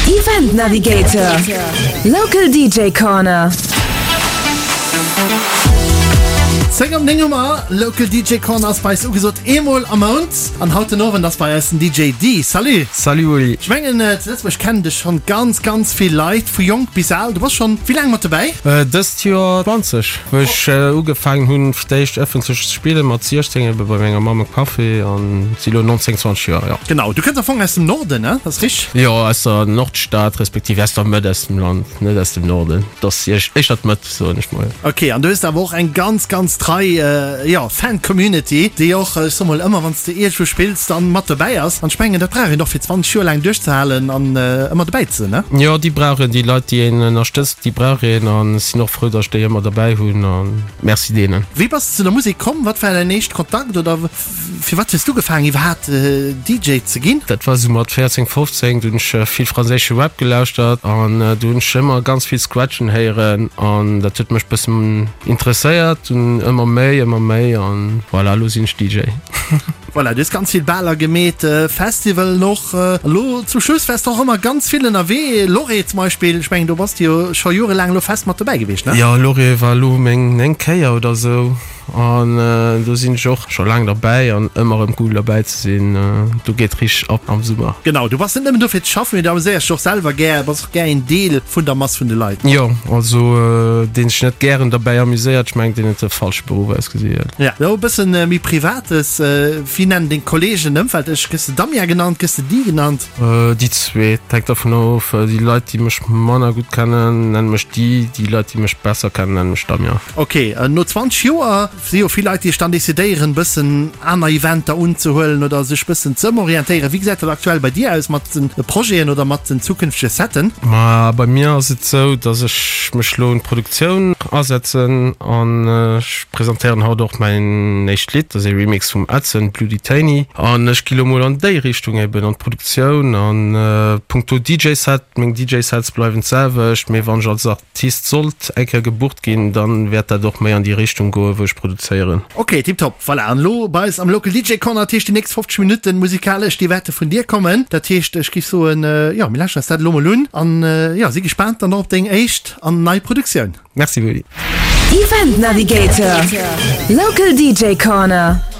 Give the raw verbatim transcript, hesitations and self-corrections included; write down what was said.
Event Navigator, Local D J Corner. Zéng op néng hu mer. Local D J Corner ass bei eis ugesot, eemol am Mount. An haut den Owend ass bei eis den D J Dee. Salut! Salut Uli! Ech mengen, zu Lëtzebuerg kennen dech schonn ganz, ganz vill Leit, vu jonk bis al. Du bass schonn wéi laang mat dobäi? Dëst Joer zwanzeg, wou ech ugefaangen hunn fir d'éischt ëffentlech ze spillen, mat siechzéng ebe bei menger Mamm e Café, an si lo nonzéng, zwanzeg Joer, jo. Genau, du kënns am Fong aus dem Norden, ne? Dat ass richteg? Jo, aus der Nordstad, respektiv aus der Mëtt aus dem Land, net aus dem Norden. Dat ass éischter d'Mëtt, soen ech mol. Ok, an du hues awer och eng ganz, ganz trei jo, Fan-Community, déi och, ech soe mol, ëmmer wann s de iergendwou spills, dann mat dobäi ass. An ech mengen, dat brauch een och fir zwanzeg Joer laang duerchzehalen an ëmmer dobäi ze sinn, ne? Jo, déi brauch een, déi Leit, déi een ënnerstëtzt, déi brauch een. An ech sinn och frou, datt ech déi ëmmer derbäi hunn a Merci deenen. Wéi bass de zu der Musek komm? Wat war däin éischte Kontakt oder firwat hues du ugefaangen iwwerhaapt D J ze ginn? Dat war esou mat véierzéng, fofzéng, do hunn ech vill franséische Rap gelauschtert an do hunn ech ëmmer ganz vill Scratchen héieren an dat huet mech bëssen interesséiert, dunn ëmmer méi, ëmmer méi an voilà, elo sinn ech D J. Voilà, du hues ganz vill Baler gemeet, Festivalen och. Elo zum Schluss waars de och ëmmer ganz vill ënnerwee, Lorée zum Beispill, ech mengen do bass de jo scho jorelaang elo fest mat dobäi gewiescht, ne? Jo, Lorée war elo meng néngt Kéier oder sou an do sinn ech och scho laang derbäi an ëmmer erëm cool derbäi ze sinn. Do geet richteg ab am Summer. Genau, du bass net nëmmen do fir ze schaffen, mee du amuséiers dech och selwer gär, bass och gär een Deel vun der Mass vun de Leit. Jo, also deen sech net gären derbäi amuséiert, ech mengen deen huet de falsche Beruff ausgesielt. Ja, elo e bëssen méi Privates, wéi nennen deng Kollegen, Ëmfeld dech? Gëss de Damien genannt, gëss de Di genannt? Déi zwee, et hänkt dervun of. Déi Leit déi mech manner gutt kennen, nennen mech Di, déi Leit déi mech besser kennen, nennen mech Damien. Ok, no zwanzeg Joer si jo vill Leit, déi sech dann decidéieren, bëssen aner Eventer unzehuelen oder sech bëssen ze ëmorientéieren. Wéi gesäit dat aktuell bei dir aus mat de Projeten oder mat den zukünftege Setten? Ma bei mir ass et sou, dass ech mech lo un d'Produktioun asetzen an ech presentéieren haut och mäin éischt Lidd, dat ass ee Remix vum Edson, Bloody Tany. An ech gi lo mol an déi Richtung eben, an d'Produktioun. An punkto D J-Set, meng D J-Sets bleiwen d'selwecht, mee wann ech als Artist sollt eng Kéier gebucht ginn, dann wäert dat och méi an déi Richtung goen, wou ech produzéieren. Ok, tiptop. Voilà, an elo bei eis am Local D J Corner, dat heescht déi nächst fofzeg Minutten musikalesch, déi wäerte vun dir kommen. Dat heescht, ech géif soen, jo, mir lauschteren eis dat elo mol un an jo, si gespaant dann och op deng éischt an nei Produktioun. Merci Willy. Event Navigator, Local D J Corner.